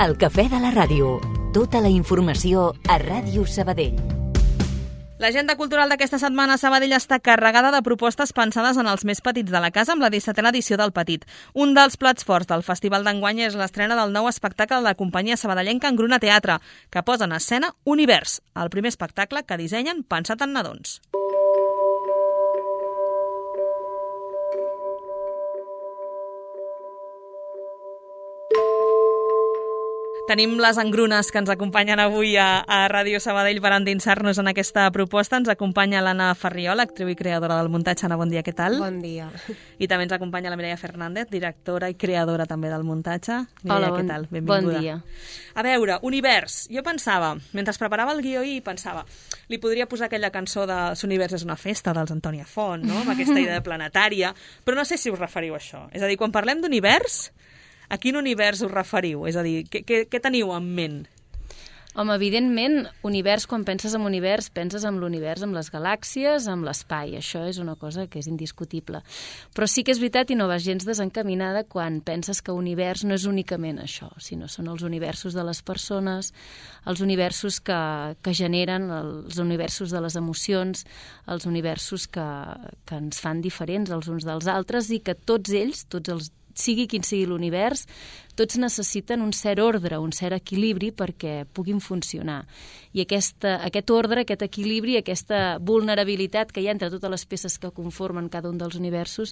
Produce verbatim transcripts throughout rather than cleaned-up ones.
El cafè de la ràdio. Tota la informació a Ràdio Sabadell. L'agenda cultural d'aquesta setmana a Sabadell està carregada de propostes pensades en els més petits de la casa amb la dissetena edició del Petit. Un dels plats forts del festival d'enguany és l'estrena del nou espectacle de la companyia sabadellenca Engruna Teatre, que posa en escena Univers, el primer espectacle que dissenyen pensat en nadons. Tenim les engrunes que ens acompanyen avui a, a Ràdio Sabadell per endinsar-nos en aquesta proposta. Ens acompanya l'Anna Farriol, actriu i creadora del muntatge. Anna, bon dia, què tal? Bon dia. I també ens acompanya la Mireia Fernández, directora i creadora també del muntatge. Mireia, Hola, bon, què tal? Benvinguda. Bon dia. A veure, Univers. Jo pensava, mentre preparava el guió i pensava, li podria posar aquella cançó de L'Univers és una festa, dels Antònia Font, no? Amb aquesta idea planetària, però no sé si us referiu a això. És a dir, quan parlem d'univers, a quin univers us referiu? És a dir, què, què, què teniu en ment? Home, evidentment, univers, quan penses en univers, penses en l'univers, amb les galàxies, amb l'espai. Això és una cosa que és indiscutible. Però sí que és veritat i no vas gens desencaminada quan penses que univers no és únicament això, sinó són els universos de les persones, els universos que, que generen, els universos de les emocions, els universos que, que ens fan diferents els uns dels altres i que tots ells, tots els sigui quin sigui l'univers, tots necessiten un cert ordre, un cert equilibri perquè puguin funcionar. I aquesta, aquest ordre, aquest equilibri, aquesta vulnerabilitat que hi ha entre totes les peces que conformen cada un dels universos,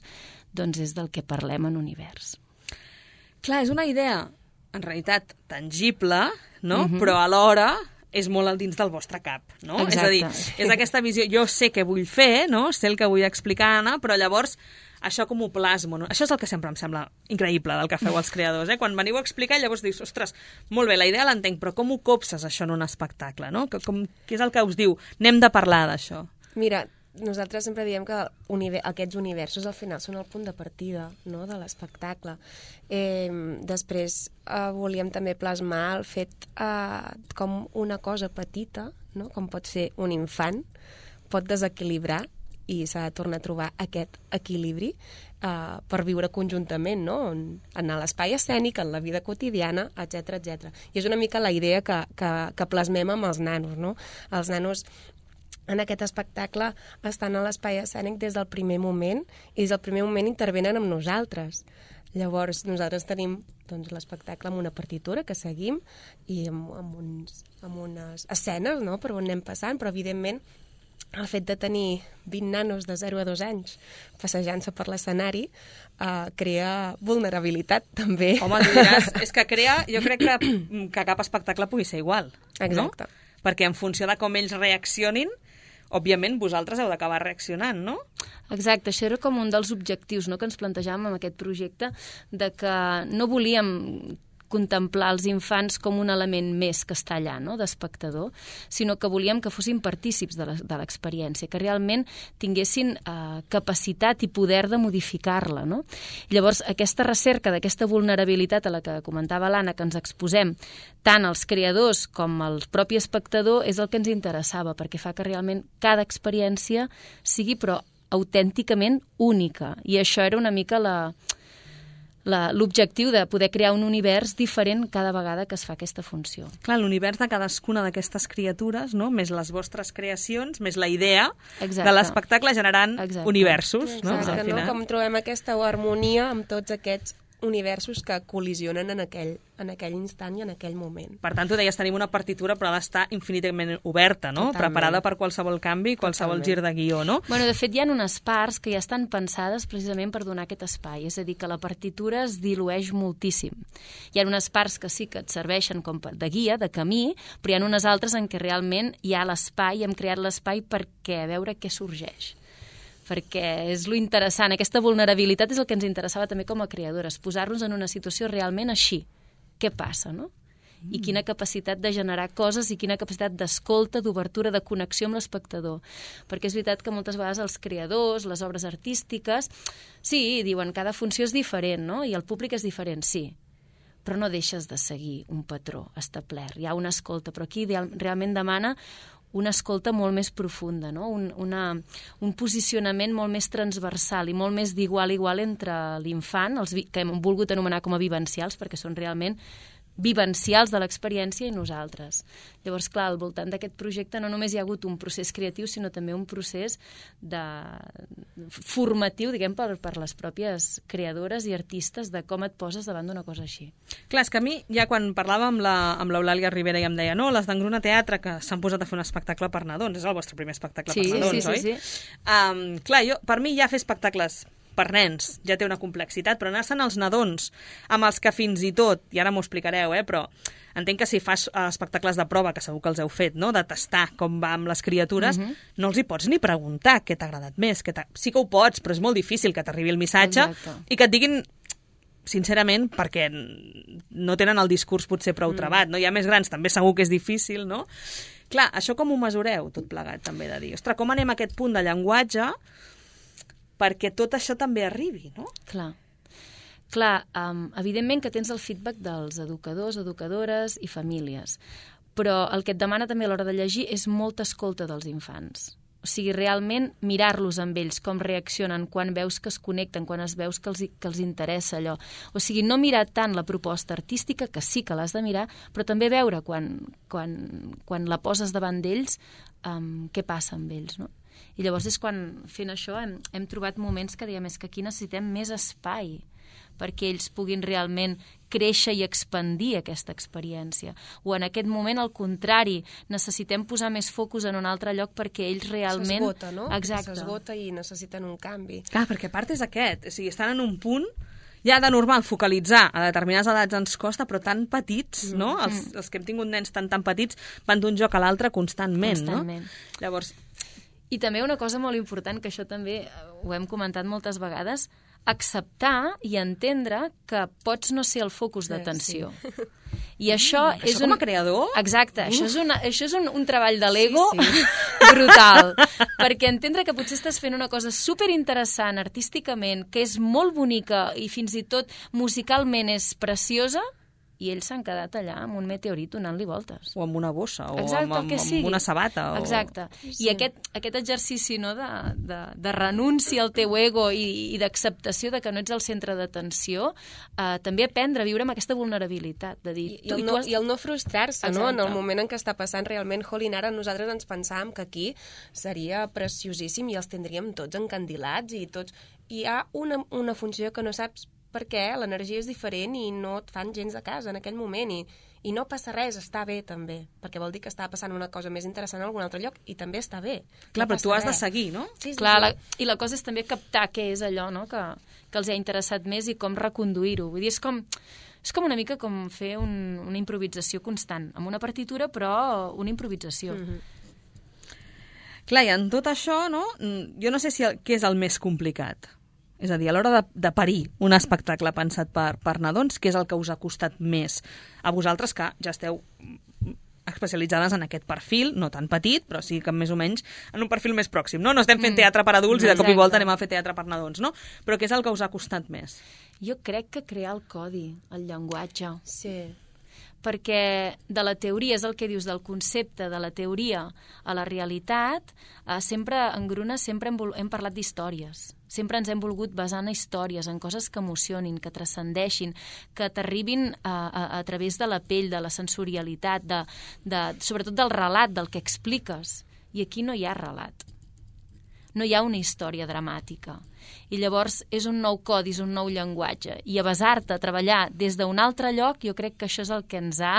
doncs és del que parlem en univers. Clar, és una idea, en realitat, tangible, no? Mm-hmm. Però alhora és molt al dins del vostre cap, no? Exacte. És a dir, és aquesta visió, jo sé què vull fer, no? Sé el que vull explicar, Anna, però llavors això com ho plasmo, no? Això és el que sempre em sembla increïble del que feu els creadors, eh? Quan veniu a explicar i llavors dius, ostres, molt bé, la idea l'entenc, però com ho copses això en un espectacle, no? Que, com, què és el que us diu? Anem de parlar d'això. Mira, nosaltres sempre diem que univer aquests universos al final són el punt de partida, no?, de l'espectacle. Eh, després eh, volíem també plasmar el fet eh, com una cosa petita, no?, com pot ser un infant, pot desequilibrar i s'ha de tornar a trobar aquest equilibri uh, per viure conjuntament, no? En, en l'espai escènic, en la vida quotidiana, etcètera, etcètera. I és una mica la idea que, que, que plasmem amb els nanos, no? Els nanos en aquest espectacle estan a l'espai escènic des del primer moment i des del primer moment intervenen amb nosaltres. Llavors, nosaltres tenim doncs, l'espectacle amb una partitura que seguim i amb, amb, uns, amb unes escenes, no?, per on anem passant, però evidentment el fet de tenir vint nanos de zero a dos anys passejant-se per l'escenari eh, crea vulnerabilitat, també. Home, tu diràs, és que crea, jo crec que, que cap espectacle pugui ser igual. Exacte. No? Perquè en funció de com ells reaccionin, òbviament vosaltres heu d'acabar reaccionant, no? Exacte, això era com un dels objectius, no?, que ens plantejàvem amb aquest projecte, de que no volíem contemplar els infants com un element més que està allà, no?, d'espectador, sinó que volíem que fossin partícips de l'experiència, que realment tinguessin eh, capacitat i poder de modificar-la, no? Llavors, aquesta recerca d'aquesta vulnerabilitat a la que comentava l'Anna, que ens exposem tant els creadors com el propi espectador, és el que ens interessava, perquè fa que realment cada experiència sigui, però, autènticament única. I això era una mica la... l'objectiu de poder crear un univers diferent cada vegada que es fa aquesta funció. Clar, l'univers de cadascuna d'aquestes criatures, no?, més les vostres creacions, més la idea Exacte. De l'espectacle generant Exacte. Universos. No? Exacte, no? Com trobem aquesta harmonia amb tots aquests universos que col·lisionen en aquell, en aquell instant i en aquell moment. Per tant, tu deies, tenim una partitura, però ha d'estar infinitament oberta, no? Totalment. Preparada per qualsevol canvi, qualsevol Totalment. gir de guió, no? Bueno, de fet, hi ha unes parts que ja estan pensades precisament per donar aquest espai, és a dir, que la partitura es dilueix moltíssim. Hi ha unes parts que sí que et serveixen com de guia, de camí, però hi ha unes altres en què realment hi ha l'espai, hem creat l'espai perquè a veure què sorgeix. Perquè és lo interessant, aquesta vulnerabilitat és el que ens interessava també com a creadores, posar-nos en una situació realment així. Què passa, no? Mm. I quina capacitat de generar coses i quina capacitat d'escolta, d'obertura, de connexió amb l'espectador. Perquè és veritat que moltes vegades els creadors, les obres artístiques, sí, diuen cada funció és diferent, no? I el públic és diferent, sí. Però no deixes de seguir un patró establert. Hi ha una escolta, però aquí realment demana una escolta molt més profunda, no? un, una, un posicionament molt més transversal i molt més d'igual a igual entre l'infant, els que hem volgut anomenar com a vivencials, perquè són realment vivencials de l'experiència i nosaltres. Llavors, clar, al voltant d'aquest projecte no només hi ha hagut un procés creatiu, sinó també un procés de... formatiu, diguem, per, per les pròpies creadores i artistes de com et poses davant d'una cosa així. Clar, és que a mi, ja quan parlava amb l'Eulàlia Rivera i em deia no, les d'Engruna Teatre, que s'han posat a fer un espectacle per nadons, és el vostre primer espectacle sí, per nadons, sí, oi? Sí, sí. Um, clar, jo, per mi ja fer espectacles per nens ja té una complexitat, però anar-se'n als nadons, amb els que fins i tot, i ara m'ho explicareu, eh, però entenc que si fas espectacles de prova, que segur que els heu fet, no?, de tastar com va amb les criatures, uh-huh. no els hi pots ni preguntar què t'ha agradat més. Què sí que ho pots, però és molt difícil que t'arribi el missatge. Exacte. I que et diguin, sincerament, perquè no tenen el discurs potser prou mm. trebat, no? Hi ha més grans, també segur que és difícil, no? Clar, això com ho mesureu, tot plegat, també, de dir, ostres, com anem a aquest punt de llenguatge perquè tot això també arribi, no? Clar. Clar, um, evidentment que tens el feedback dels educadors, educadores i famílies, però el que et demana també a l'hora de llegir és molta escolta dels infants. O sigui, realment mirar-los amb ells, com reaccionen, quan veus que es connecten, quan es veus que els, que els interessa allò. O sigui, no mirar tant la proposta artística, que sí que l'has de mirar, però també veure quan, quan, quan la poses davant d'ells, um, què passa amb ells, no? I llavors és quan, fent això, hem, hem trobat moments que diem, és que aquí necessitem més espai perquè ells puguin realment créixer i expandir aquesta experiència. O en aquest moment, al contrari, necessitem posar més focus en un altre lloc perquè ells realment... S'esgota, no? Exacte. S'esgota i necessiten un canvi. Clar, perquè a part és aquest, o sigui, estan en un punt ja de normal focalitzar a determinades edats ens costa, però tan petits, no? Mm. Els, els que hem tingut nens tan tan petits van d'un joc a l'altre constantment, constantment, no? Llavors... I també una cosa molt important, que això també ho hem comentat moltes vegades, acceptar i entendre que pots no ser el focus d'atenció. Sí. I això mm, és això un... com a creador? Exacte, uh. això és, una, això és un, un treball de l'ego sí, sí. brutal. Perquè entendre que potser estàs fent una cosa superinteressant artísticament, que és molt bonica i fins i tot musicalment és preciosa, i ells s'han quedat allà amb un meteorit donant-li voltes. O amb una bossa, o Exacte, amb, amb, amb una sabata. O... Exacte. Sí. I aquest, aquest exercici, no, de, de, de renúncia al teu ego i, i d'acceptació de que no ets el centre d'atenció, eh, també aprendre a viure amb aquesta vulnerabilitat. De dir, I, i, el no, has... I el no frustrar-se, no? En el moment en què està passant realment, jolín, ara nosaltres ens pensàvem que aquí seria preciosíssim i els tindríem tots encandilats i tots... I hi ha una, una funció que no saps perquè l'energia és diferent i no et fan gens de casa en aquell moment i, i no passa res, està bé també, perquè vol dir que està passant una cosa més interessant en algun altre lloc i també està bé. Clar, no però tu has res. de seguir, no? Sí, sí, Clar, sí. la, i la cosa és també captar què és allò, no?, que, que els ha interessat més i com reconduir-ho. Vull dir, és com, és com una mica com fer un, una improvisació constant, amb una partitura, però una improvisació. Mm-hmm. Clar, i en tot això, no?, jo no sé si el, què és el més complicat. És a dir, a l'hora de, de parir un espectacle pensat per, per nadons, què és el que us ha costat més a vosaltres, que ja esteu especialitzades en aquest perfil, no tan petit, però sí que més o menys en un perfil més pròxim, no? No estem fent teatre per adults mm, i de cop i volta anem a fer teatre per nadons, no? Però què és el que us ha costat més? Jo crec que crear el codi, el llenguatge. Sí. Perquè de la teoria, és el que dius, del concepte de la teoria a la realitat, eh, sempre, en Gruna, sempre hem, hem parlat d'històries. Sempre ens hem volgut basar en històries, en coses que emocionin, que transcendeixin, que t'arribin a, a, a través de la pell, de la sensorialitat, de, de, sobretot del relat, del que expliques. I aquí no hi ha relat. No hi ha una història dramàtica. I llavors és un nou codi, és un nou llenguatge. I a basar-te a treballar des d'un altre lloc, jo crec que això és el que ens ha,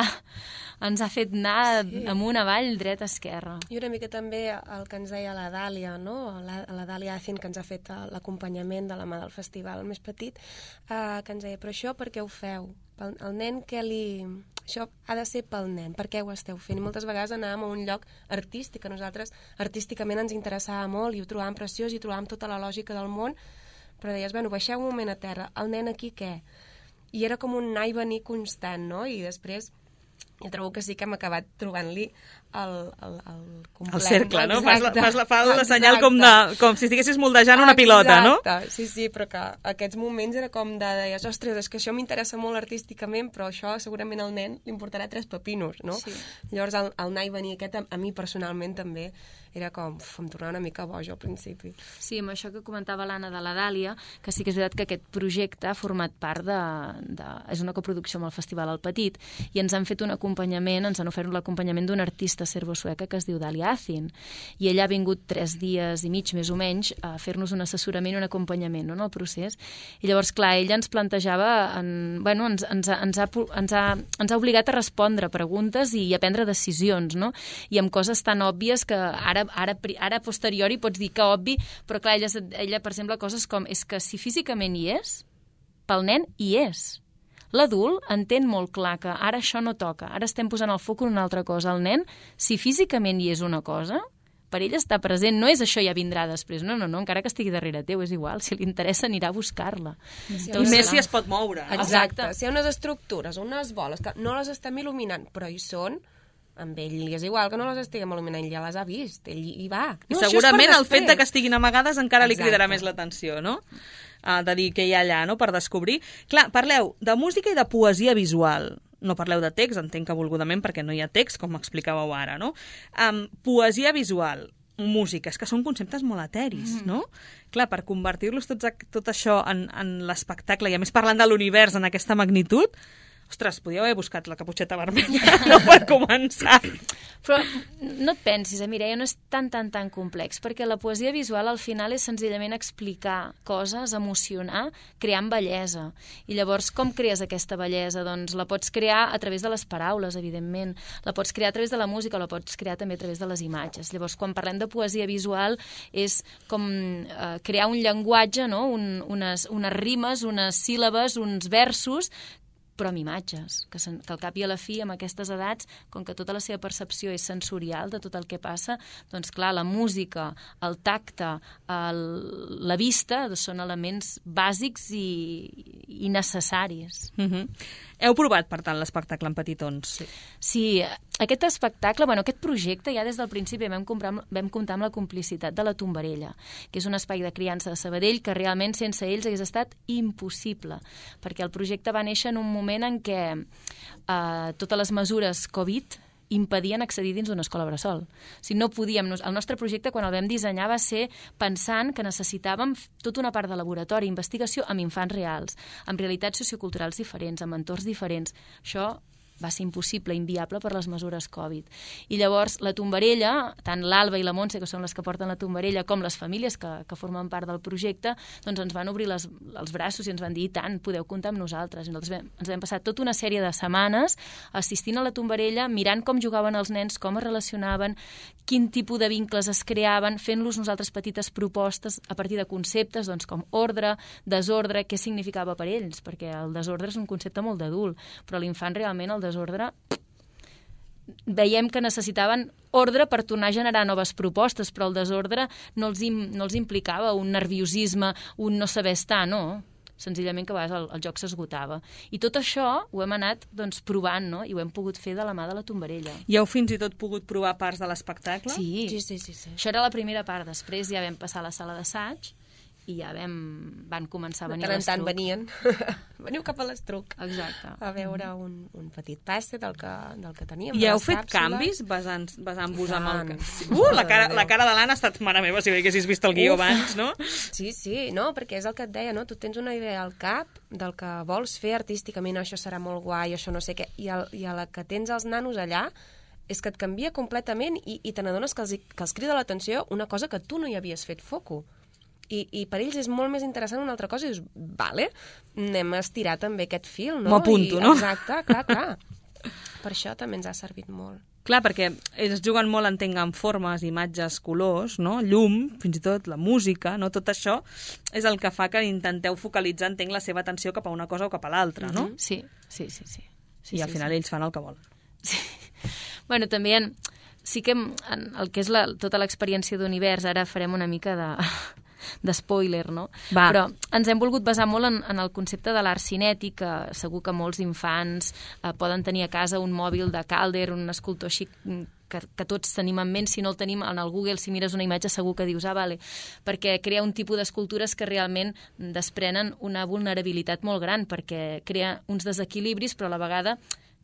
ens ha fet anar sí. amunt, avall, dreta, esquerra. I una mica també el que ens deia la Dàlia, no? La, la Dàlia Acin, que ens ha fet l'acompanyament de la mà del festival més petit, eh, que ens deia, però això per què ho feu? El, el nen que li... Això ha de ser pel nen, per què ho esteu fent? I moltes vegades anàvem a un lloc artístic, que nosaltres artísticament ens interessava molt i ho trobàvem preciós i trobàvem tota la lògica del món, però deies, bueno, baixeu un moment a terra, el nen aquí què? I era com un anar i venir constant, no? I després jo trobo que sí que hem acabat trobant-li el, el, el complet. El cercle, no? Fas la, fas la, fas la Exacte. senyal com, de, com si estiguessis moldejant una pilota, no? Exacte, sí, sí, però que aquests moments era com de, deies, ostres, és que això m'interessa molt artísticament, però això segurament al nen li importarà tres pepinos, no? Sí. Llavors el, el anar i venir aquest, a, a mi personalment també, era com, uf, em tornava una mica boja al principi. Sí, amb això que comentava l'Anna de la Dàlia, que sí que és veritat que aquest projecte ha format part de... de és una coproducció amb el Festival al Petit, i ens han fet un acompanyament, ens han ofert l'acompanyament d'una artista serbo-sueca que es diu Dalia Azin, i ella ha vingut tres dies i mig, més o menys, a fer-nos un assessorament i un acompanyament, no?, en el procés. I llavors, clar, ella ens plantejava, en, bueno, ens, ens, ha, ens, ha, ens, ha, ens ha obligat a respondre preguntes i a prendre decisions, no?, i amb coses tan òbvies que ara Ara, ara a posteriori pots dir que obvi, però clar, ella, ella, per exemple, coses com és que si físicament hi és, pel nen hi és. L'adult entén molt clar que ara això no toca, ara estem posant el foc en una altra cosa. El nen, si físicament hi és una cosa, per ell està present, no és això ja vindrà després, no, no, no, encara que estigui darrere teu, és igual, si li interessa anirà a buscar-la. Sí, I més si es pot moure. Exacte. Exacte, si hi ha unes estructures, unes boles, que no les estem il·luminant, però hi són, amb ell li és igual que no les estiguem il·luminant, ell ja les ha vist, ell hi va. I no, segurament el fet de que estiguin amagades encara Exacte. Li cridarà més l'atenció, no? Uh, de dir què hi ha allà, no?, per descobrir. Clar, parleu de música i de poesia visual. No parleu de text, entenc que volgudament, perquè no hi ha text, com explicàveu ara, no? Um, poesia visual, música, és que són conceptes molt eteris, no? Clar, per convertir-los tots, tot això en, en l'espectacle, i a més parlant de l'univers en aquesta magnitud, ostres, podíeu haver buscat la caputxeta vermella, no, per començar. Però no et pensis, eh, Mireia, no és tan, tan, tan complex, perquè la poesia visual al final és senzillament explicar coses, emocionar, creant bellesa. I llavors, com crees aquesta bellesa? Doncs la pots crear a través de les paraules, evidentment. La pots crear a través de la música, la pots crear també a través de les imatges. Llavors, quan parlem de poesia visual, és com eh, crear un llenguatge, no? un, unes, unes rimes, unes síl·labes, uns versos, però amb imatges, que, sen, que al cap i a la fi, amb aquestes edats, com que tota la seva percepció és sensorial de tot el que passa, doncs clar, la música, el tacte, el, la vista, són elements bàsics i, i necessaris. Mm-hmm. Heu provat, per tant, l'espectacle en petitons? Sí. Sí, aquest espectacle, bueno, aquest projecte, ja des del principi vam, comprar, vam comptar amb la complicitat de la Tombarella, que és un espai de criança de Sabadell que realment sense ells hagués estat impossible, perquè el projecte va néixer en un moment en què eh, totes les mesures Covid impedien accedir dins d'una escola bressol. O sigui, no podíem... El nostre projecte, quan el vam dissenyar, va ser pensant que necessitàvem tota una part de laboratori, investigació amb infants reals, amb realitats socioculturals diferents, amb entorns diferents. Això va ser impossible, inviable per les mesures Covid. I llavors la Tombarella, tant l'Alba i la Montse, que són les que porten la Tombarella, com les famílies que, que formen part del projecte, doncs ens van obrir les, els braços i ens van dir, i tant, podeu comptar amb nosaltres. I nosaltres vam, ens vam passar tota una sèrie de setmanes assistint a la Tombarella, mirant com jugaven els nens, com es relacionaven, quin tipus de vincles es creaven, fent-los nosaltres petites propostes a partir de conceptes, doncs com ordre, desordre, què significava per ells, perquè el desordre és un concepte molt d'adult, però l'infant realment el desordre, veiem que necessitaven ordre per tornar a generar noves propostes, però el desordre no els, im, no els implicava un nerviosisme, un no saber estar, no. Senzillament que a vegades el, el joc s'esgotava. I tot això ho hem anat doncs, provant, no? I ho hem pogut fer de la mà de la Tombarella. I heu fins i tot pogut provar parts de l'espectacle? Sí. Sí, sí, sí, sí. Això era la primera part. Després ja vam passar a la sala d'assaig i ja vam, van començar a venir a l'Estruc. De tant en tant venien. Veniu cap a l'Estruc. Exacte. A veure un, un petit passe del que, del que teníem. I heu fet càpsules. canvis basant, basant-vos amb el... Sí. Uh, la cara, la cara de l'Anna ha estat, mare meva, si haguessis vist el guió Uf. abans, no? Sí, sí, no, perquè és el que et deia, no? Tu tens una idea al cap del que vols fer artísticament, això serà molt guai, això no sé què, i, el, i a la que tens els nanos allà és que et canvia completament i, i te n'adones que, els, que els crida l'atenció una cosa que tu no hi havies fet foco. I, i per ells és molt més interessant una altra cosa i dius, vale, anem a estirar també aquest fil, no? M'ho apunto, I, no? Exacte, clar, clar. Per això també ens ha servit molt. Clar, perquè ells juguen molt, entenc, amb formes, imatges, colors, no? Llum, fins i tot la música, no? Tot això és el que fa que intenteu focalitzar, entenc, la seva atenció cap a una cosa o cap a l'altra, no? Mm-hmm. Sí, sí, sí. sí. sí I al sí, final sí. ells fan el que volen. Sí. Bueno, també en, sí que en, en el que és la, tota l'experiència d'univers, ara farem una mica de... de spoiler, no? Va. Però ens hem volgut basar molt en, en el concepte de l'art cinètic, que segur que molts infants eh, poden tenir a casa un mòbil de Calder, un escultor així que, que tots tenim en ment. Si no el tenim en el Google, si mires una imatge segur que dius, ah, vale, perquè crea un tipus d'escultures que realment desprenen una vulnerabilitat molt gran, perquè crea uns desequilibris, però a la vegada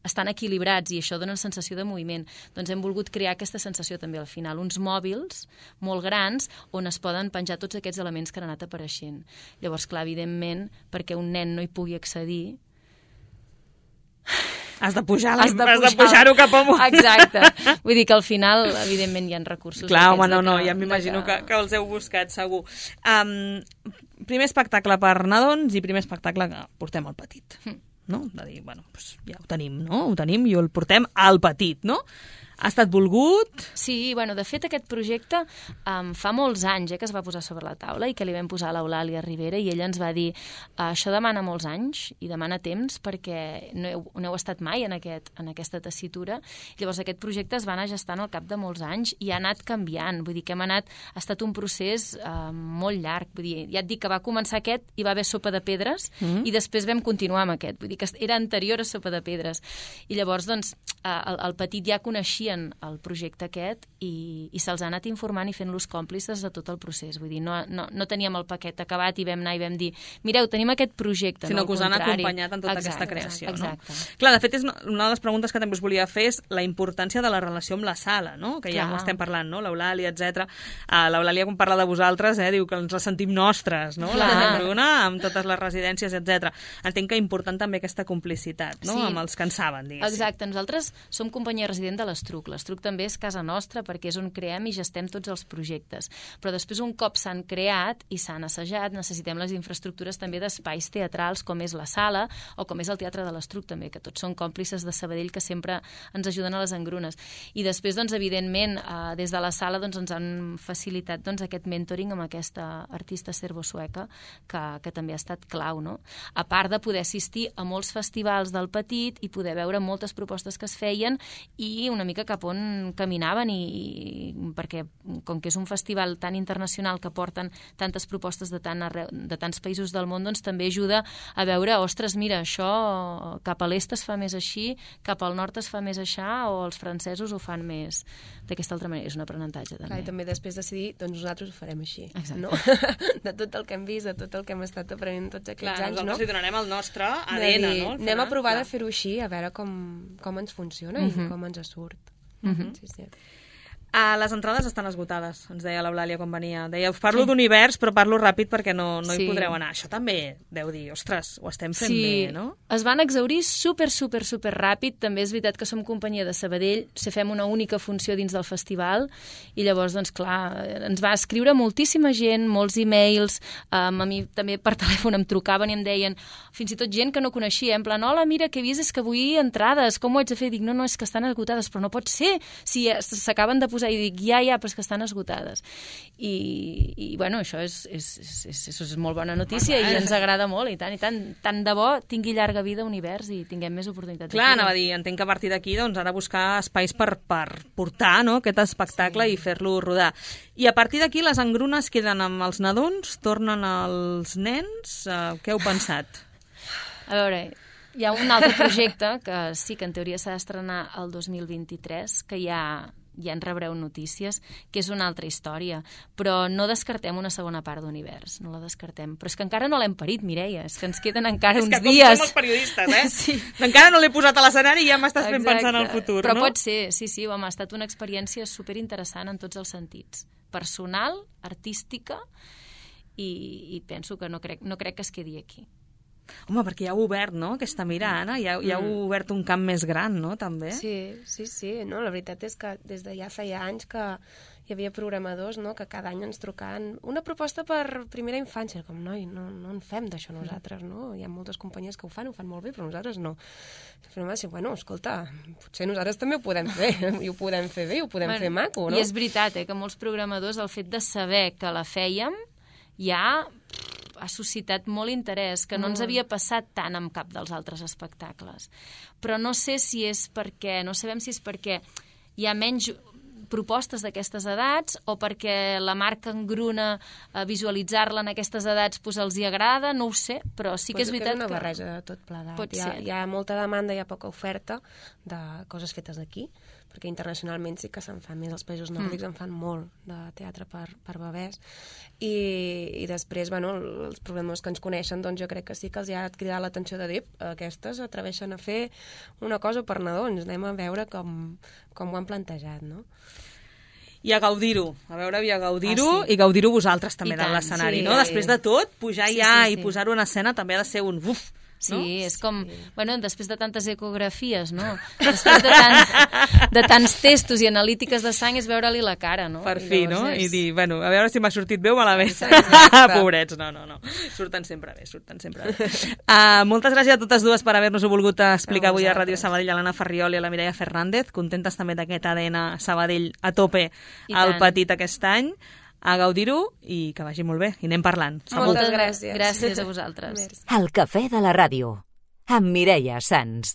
estan equilibrats i això dona una sensació de moviment. Doncs hem volgut crear aquesta sensació també al final, uns mòbils molt grans on es poden penjar tots aquests elements que han anat apareixent. Llavors, clar, evidentment, perquè un nen no hi pugui accedir, Has de pujar-ho has de pujar pujar cap amunt. Exacte. Vull dir que al final, evidentment, hi ha recursos. Clar, home, no, de no, que, ja m'imagino que... que, que els heu buscat, segur. Um, primer espectacle per nadons i primer espectacle que portem al petit. Mm. No? De dir, bueno, doncs ja ho tenim, no? Ho tenim i el portem al petit, no? Ha estat volgut? Sí, bueno, de fet aquest projecte um, fa molts anys eh, que es va posar sobre la taula i que li vam posar a l'Eulàlia Rivera i ella ens va dir uh, això demana molts anys i demana temps perquè no heu, no heu estat mai en, aquest, en aquesta tessitura. Llavors aquest projecte es va anar gestant al cap de molts anys i ha anat canviant, vull dir que hem anat, ha estat un procés uh, molt llarg, vull dir, ja et dic que va començar aquest i va haver Sopa de Pedres mm. i després vam continuar amb aquest, vull dir que era anterior a Sopa de Pedres i llavors doncs uh, el, el petit ja coneixia el projecte aquest i, i se'ls ha anat informant i fent-los còmplices de tot el procés. Vull dir, no, no, no teníem el paquet acabat i vam anar i vam dir, mireu, tenim aquest projecte. Sinó no, que us han contrari. acompanyat en tota exacte, aquesta creació. exacte. No? Clar, de fet, és una de les preguntes que també us volia fer és la importància de la relació amb la sala, no? Que ja Clar. ho estem parlant, no? L'Eulàlia, etcètera. Uh, L'Eulàlia, quan parla de vosaltres, eh, diu que ens la sentim nostres, no? Clar. La gent Bruna, amb totes les residències, etcètera. Entenc que és important també aquesta complicitat, no? Sí. Amb els que en saben, diguéssim. Exacte, nosaltres som companyia resident de l'Estruc. L'Estruc també és casa nostra perquè és on creem i gestem tots els projectes. Però després, un cop s'han creat i s'han assajat, necessitem les infraestructures també d'espais teatrals, com és la sala o com és el Teatre de l'Estruc també, que tots són còmplices de Sabadell que sempre ens ajuden a les engrunes. I després, doncs, evidentment, eh, des de la sala doncs, ens han facilitat doncs, aquest mentoring amb aquesta artista serbo-sueca que, que també ha estat clau, no? A part de poder assistir a molts festivals del petit i poder veure moltes propostes que es feien i una mica cap on caminaven i, i perquè com que és un festival tan internacional que porten tantes propostes de, tant arreu, de tants països del món, doncs també ajuda a veure, ostres, mira, això cap a l'est es fa més així, cap al nord es fa més aixà, o els francesos ho fan més d'aquesta altra manera. És un aprenentatge, també. Clar, i també després decidir, doncs nosaltres ho farem així. Exacte. No? De tot el que hem vist, de tot el que hem estat aprenent tots aquests Clar, anys, no? nosaltres li donarem el nostre A D N, De dir, no? Anem a provar Clar. de fer-ho així, a veure com, com ens funciona Uh-huh. i com ens surt. Uh-huh. Sí, sí. Uh, les entrades estan esgotades, ens deia l'Eulàlia quan venia. Deia, us parlo sí. d'univers, però parlo ràpid perquè no, no Sí. hi podreu anar. Això també deu dir, ostres, ho estem fent Sí, bé, no? es van exaurir super, super, super ràpid. També és veritat que som companyia de Sabadell, se fem una única funció dins del festival i llavors, doncs clar, ens va escriure moltíssima gent, molts e-mails, um, a mi també per telèfon em trucaven i em deien, fins i tot gent que no coneixia, en plan, hola, mira, que he vist és que vull entrades, com ho haig de fer? Dic, no, no, és que estan esgotades, però no pot ser, si s'acaben de posar, i dic, ja, ja, però és que estan esgotades. I, i bueno, això és, és, és, és, és molt bona notícia i ens agrada molt, i tant, i tant, tant de bo tingui llarga vida Univers i tinguem més oportunitats. Clar, anava a dir, entenc que a partir d'aquí doncs, ha de buscar espais per, per portar, no?, aquest espectacle sí. i fer-lo rodar. I a partir d'aquí les engrunes queden amb els nadons, tornen als nens. Uh, què heu pensat? A veure, hi ha un altre projecte que sí que en teoria s'ha d'estrenar el dos mil vint-i-tres, que ja, ja en rebreu notícies, que és una altra història. Però no descartem una segona part d'Univers, no la descartem. Però és que encara no l'hem parit, Mireia, és que ens queden encara uns dies. És que com som els periodistes, eh? Sí. Encara no l'he posat a l'escenari i ja m'estàs fent pensar en el futur, Però no? pot ser, sí, sí, home, ha estat una experiència superinteressant en tots els sentits. Personal, artística, i, i penso que no crec, no crec que es quedi aquí. Home, perquè ja heu obert, no?, aquesta mira, Anna, ja, ja heu obert un camp més gran, no?, també. Sí, sí, sí. No, la veritat és que des de ja feia anys que hi havia programadors, no?, que cada any ens trucaven una proposta per primera infància. Com, noi, no, no en fem d'això nosaltres, no? Hi ha moltes companyies que ho fan, ho fan molt bé, però nosaltres no. Però va ser, bueno, escolta, potser nosaltres també ho podem fer, i ho podem fer bé, i ho podem bueno, fer maco, no? I és veritat, eh, que molts programadors, el fet de saber que la fèiem, ja ha suscitat molt interès, que no ens havia passat tant amb cap dels altres espectacles. Però no sé si és perquè, no sabem si és perquè hi ha menys propostes d'aquestes edats o perquè la marca engruna a visualitzar-la en aquestes edats pues, els hi agrada, no ho sé, però sí que pues és veritat que... és una que... barreja de tot plegat. Pot hi ha, ser. hi ha molta demanda, hi ha poca oferta de coses fetes aquí, perquè internacionalment sí que se'n fan més, els països nòrdics mm. en fan molt de teatre per, per bebès, i, i després, bueno, els problemes que ens coneixen, doncs jo crec que sí que els ha cridat l'atenció de dir, aquestes atreveixen a fer una cosa per nadons, anem a veure com, com ho han plantejat, no? I a gaudir-ho, a veure, i a gaudir-ho, ah, sí. i gaudir-ho vosaltres també I de l'escenari, sí, no? sí. Després de tot, pujar sí, ja sí, sí. i posar-ho en escena també ha de ser un uf, Sí, no? és com, sí. bueno, després de tantes ecografies, no? Després de tants, de tants testos i analítiques de sang és veure-li la cara, no? Per fi, no? és... I dir, bueno, a veure si m'ha sortit bé o malament. Pobrets, no, no, no. Surten sempre bé, surten sempre bé. Uh, moltes gràcies a totes dues per haver-nos-ho volgut explicar avui a Ràdio Sabadell, a l'Anna Farriol i a la Mireia Fernández. Contentes també d'aquest A D N Sabadell a tope al Petit aquest any. A gaudir-ho i que vagi molt bé. I anem parlant. Segur. Moltes gràcies. Gràcies a vosaltres. El Cafè de la Ràdio, amb Mireia Sans.